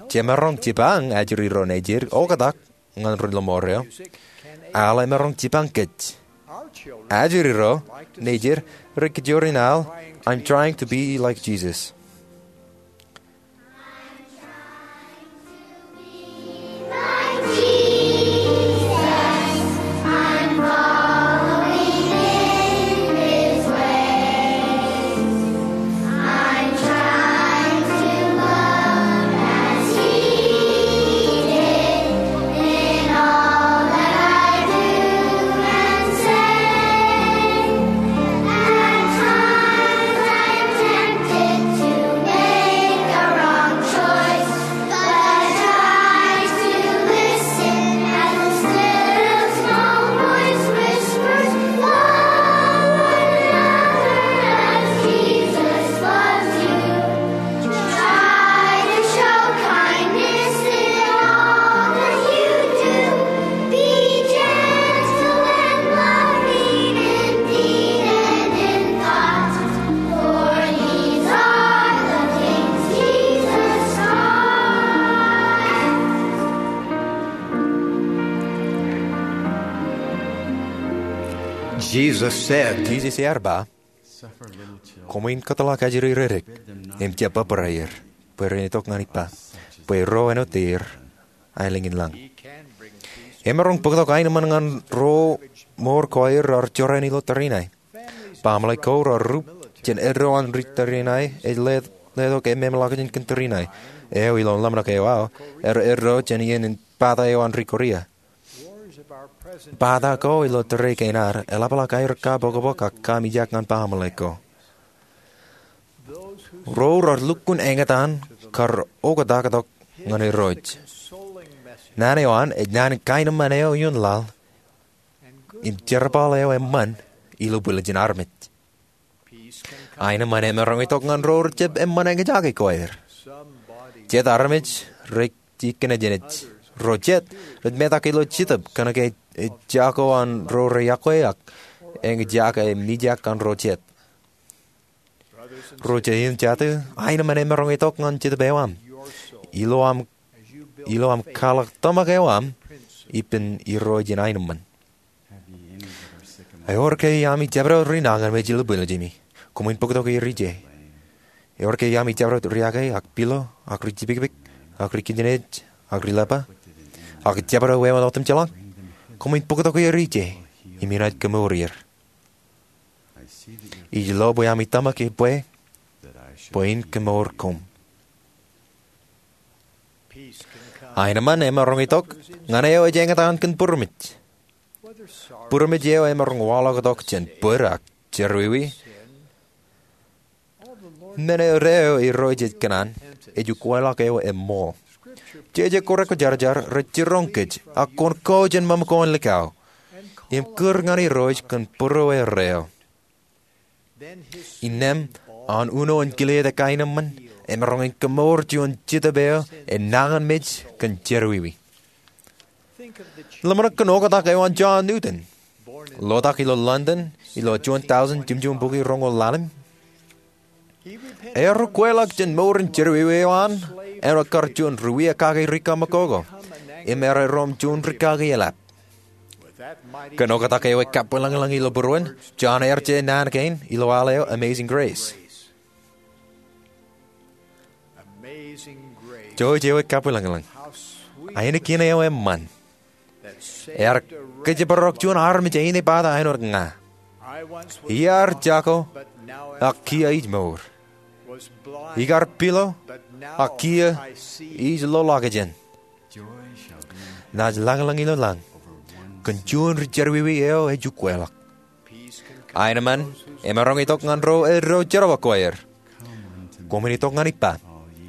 Jemaroñ jipañ ajri ro nejid oktak ñan ri-lọmọọr eo. Al emaroñ jipañ kōj. Ajri ro nejid rej kajjioñ in al, "I'm trying to be like Jesus." Try to show kindness in all that you do. Be gentle and loving in deed and in thought. For these are the things Jesus taught. Jesus said, Jisōs ear ba, "Koṃwin kōtḷọk ajri reddik im jab bōbraer, bwe ren itok ñan ippa, bwe ro āinwōt er aelōñ in lañ." Emaroñ bōktok aenōṃṃan ñan ro mour ko aer raar jorrāān ilo tōre in ae. Baaṃle ko raar rup jān eddo an ri tōre in ae ej letok ememḷọkjeṇ kōn tōre in ae. Eo ilo ḷōmṇak eo aō, erro jān iien in bata eo an ri Korea. Bata ko ilo tōre kein ad eḷapḷọk aer kapokpok ak kaamijak ñan baaṃle ko. Ro raar lukkuun eñtaan kar oktak tok ñan Irooj. Naan eo an ej naan in kaenōṃṃan eo ioon laḷ im jerbal eo eṃṃan ilo bwiljin armej. Aenōṃṃan emaroñ itok ñan ro rejjab eṃṃan eñjake ko aer. Jet armej rej jikōnejnej. Ro jet rej metak ilo Jetōb kōnke ejako an ro reyokwe ak eñjake mijak an ro jet. Ro jet im jatū, aenōṃṃan emaroñ itok ñan Jetōb eo aṃ ilo aṃ, ilo aṃ kwaḷọk tōmak eo aṃ ippān Irooj in aenōṃṃan. Ewōr ke iaami jabdewōt ri nañinmej ilo bwiljimi? Koṃwin bōktok er ije. Ewōr ke iaami jabdewōt ri-ake ak pilo ak ri-jipikpik ak ri-kōjnāāj ak ri-lepa ak jabdewōt wāween otemjeḷọk? Koṃwin bōktok er ije im inaaj kōmour er. Ij lo bwe ami tōmak ebwe bwe in kōmour koṃ. Aenōṃṃan emaroñ itok ñan eo ej eñtaan kōn būrmej. Būrmej eo emaroñ waḷọk tok jān bōd ak jerọwiwi. Men eo Irooj ej kōṇaan ej ukweḷọk eo eṃṃool. Jeje ko rekwōjarjar rej jiroñ kōj ak kwōn ko jān ṃōṃ ko an likao im kūr ñan Irooj kōn būrueer eo. Innām an uno in kile eo ekaenōṃṃan emaroñ in kōmour juon Jetōb eo enañinmej kōn jerọwiwi. Ḷōmṇak kōn oktak eo an John Newton, lotak ilo London ilo juon tọujin jimjuon bukwi roñoul ḷalem. Ear ukweḷọk jān mour in jerọwiwi eo an āinwōt kar juon ri-wiaikaki ri-kaṃakoko im ear erom juon rikaki eḷap. Kōn oktak eo ekabwilōñlōñ ilo būruon, John ear je naan kein ilo al eo Amazing Grace. Jouj eo ekabwilōñlōñ. Ainikien eo eṃṃan. Ear kōjparok juon armej eñin epata āinwōt ña. Iar jako, ak kiiō ij mour. Ikar pilo, ak kiiō ij loḷọkjeṇ. Naaj lañlōñ ilo lañ kōn juon ri jerọwiwi eo ej ukweḷọk. Aenōṃṃan emaroñ itok ñan ro eddo jerbal ko aer. Koṃwin itok ñan ippa.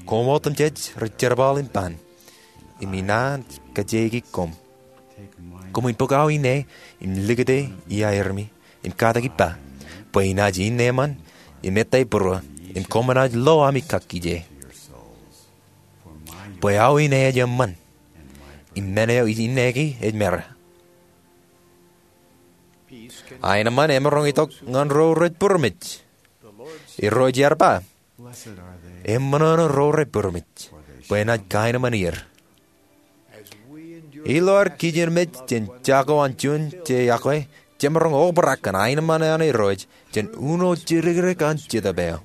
Koṃ otemjej rej jerbal im ban, im inaaj kajjieiki koṃ. Koṃwin bōk aō ine im likūti iaermi, im katak ippa, bwe inaaj innem eṃṃan im ettā būruō, im koṃ enaaj lo ami kakkije. Bwe aō ine ej eṃṃan, im men eo ij ineki ej mera. Aenōṃṃan emaroñ itok ñan ro rej būroṃōj. Irooj ear ba, eṃṃan ro rej būroṃōj, bwe enaaj kaenōṃṃan er. Ilo ad kijenmej jān jako an juon je iọkwe, jemaroñ obrak kōn aenōṃṃan an Irooj jān uno jidikdik an Jetōb eo.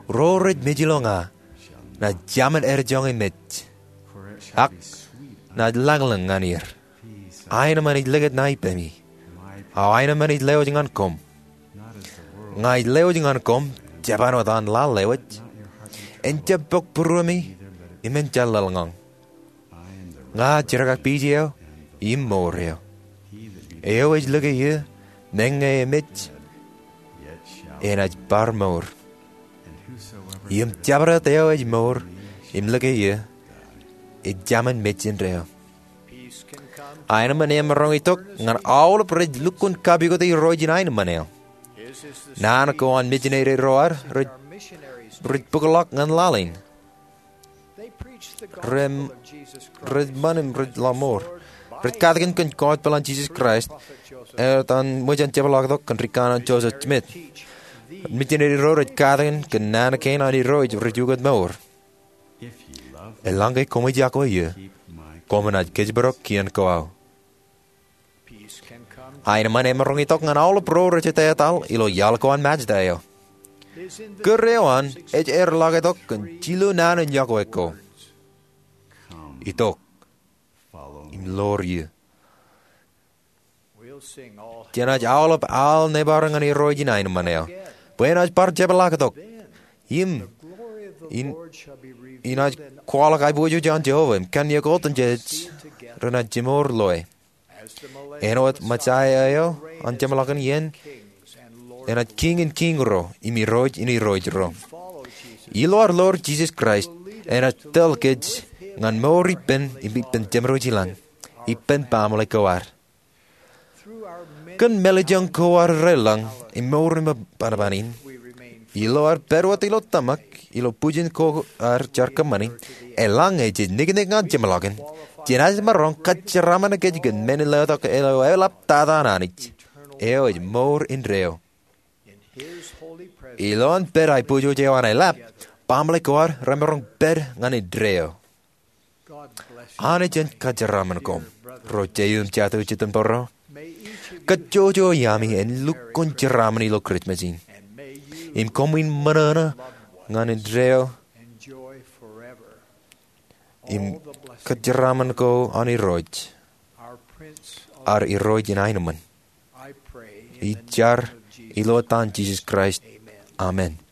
Ro rej mej ilo ña, naaj jamin erjoñi mej, ak naaj lañlōñ ñan er. Aenōṃṃan ej likūt ṇa ippemi, aō aenōṃṃan ej lewōj ñan koṃ. Ña ij lewōj ñan koṃ, jeban wōt an laḷ eo ej. En jab bōk būruemi, im en jab laḷñọñ. Ña jidikdik piij eo im mour eo. Eo ej lōke eō, meñe emej, enaaj bar mour. Im jabdewōt eo ej mour im lōke eō, ej jamin mej indeeo. Aenōṃṃan emaroñ itok ñan aolep rej lukkuun kapikoti Irooj in aenōṃṃan eo. Naan ko an misineri ro ad rej, rej bōkḷọk ñan laḷ in. Rej, rej ṃan im rej laḷ mour. Rej katakin kōn gospel an Jisōs Kraist, etan ṃōj an jepḷaaktok kōn rikaṇan Joseph Smith. Misineri ro rej katakin kōn naan kein an Irooj rej ukōt mour. Eḷaññe koṃij iọkwe eō, koṃ enaaj kōjparok kien ko aō. Aenōṃṃan emaroñ itok ñan aolep ro rej etetal ilo iaḷ ko an Majta eo. Kūr eo an ej aerḷọk itok kōn jilu naan in iọkwe ko. Itok im ḷoor eō. Jenaaj aolep al nebar ñan Irooj in aenōṃṃan eo, bwe enaaj bar jepḷaaktok. Im, in, inaaj kwaḷọk aiboojoj an Jeova im kanniōk otemjej renaaj jimour loe. Āinwōt Mesaia eo an jeṃḷọkin iien, enaaj Kiiñ in kiiñ ro im Irooj in irooj ro. Ilo ad ḷoor Jisōs Kraist, enaaj tōl kōj ñan mour ippān im ippān Jemedwōj ilañ, ippān baaṃle ko ad. Kōn mālejjoñ ko ad reḷḷañ im mour im banoban in, ilo ad pād wōt ilo tōmak ilo bwijin ko ad jar kōṃṃani, eḷaññe jej niknik ñan jeṃḷọkin, jenaaj maroñ kajeraṃṃan kōj kōn men in letok ilo eḷap tata an Anij, eo ej mour indeeo. Ilowaan pād aiboojoj eo an eḷap, baaṃle ko ad remaroñ pād ñan indeeo. Anij en kajeraṃṃan koṃ, ro jeiū im jatū jitōnbōro. Kajjojo iaami en lukkuun jeraṃṃan ilo Kūrijṃōj in. Im koṃwin ṃōṇōṇō ñan indeeo im kajeraṃṃan ko an Irooj, ad Irooj in aenōṃṃan. Ij jar ilo etan Jisōs Kraist. Amen.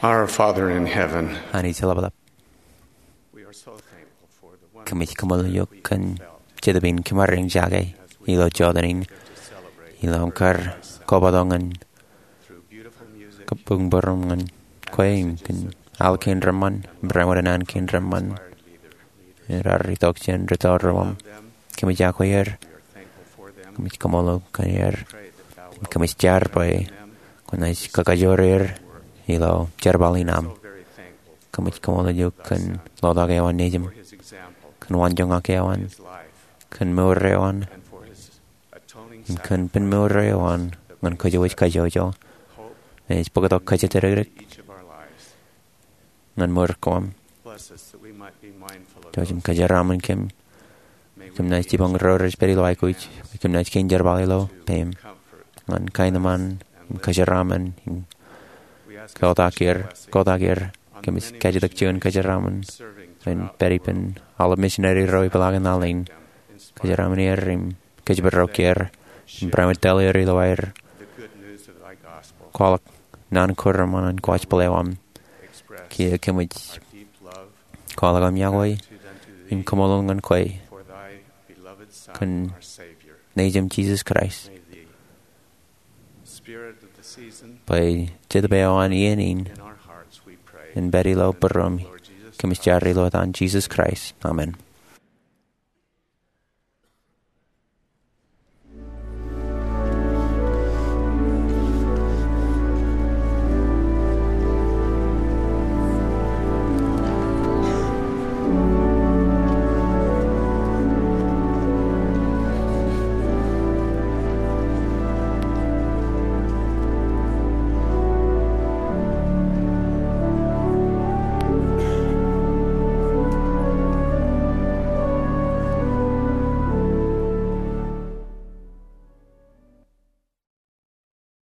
Our Father in heaven, Anij Jeḷapḷap, we are so thankful for the wonderful kōmij kaṃṃoolol eok kōn jetōb in kōṃṃan jake ilo jota in ilo aṃ kar kobatok ñan kabuñbūruṃ ñan kwe im kōn al kein reṃṃan im barāinwōt an kein reṃṃan raar itok jān rūtto ro aṃ. Kōmij akwe er. Kōmij kaṃṃoolol kōn er. Kōmij jar bwe kwōnaaj kakajoor er ilo jerbal in aṃ. Kōmij kaṃṃoolol eok kōn lotak eo an Nejiṃ, kōn waanjoñak eo an, kōn mour eo an, im kōn pen mour eo an ñan kōjwōj kajjojo. Ej bōktok kōjatdikdik ñan mour ko aṃ. Jouj im kōjeraaṃṃan kōm. Kōm naaj jibboñ ro rej pād ilo aikuj. Kōm naaj kein jerbal ilo peiṃ ñan kaenōṃṃan im kōjeraaṃṃan im kotak er, kotak er. Kōmij kajjitōk juon kōjeraaṃṃan in pād ippān aolep misineri ro ipeḷaakin al in. Kōjeraaṃṃan er im kōjparok er im barāinwōt tōl er ilo aer kwaḷọk naan ko reṃṃan an kwōj bōk ḷọk aṃ. Kiiō kōmij kwaḷọk aṃ iọkwe im kaṃṃoolol ñan kwe kōn Nejiṃ Jisōs Kraist. Bwe Jetōb eo an iien in en pād ilo būruōm, kōmij jar ilo etan Jisōs Kraist. Amen.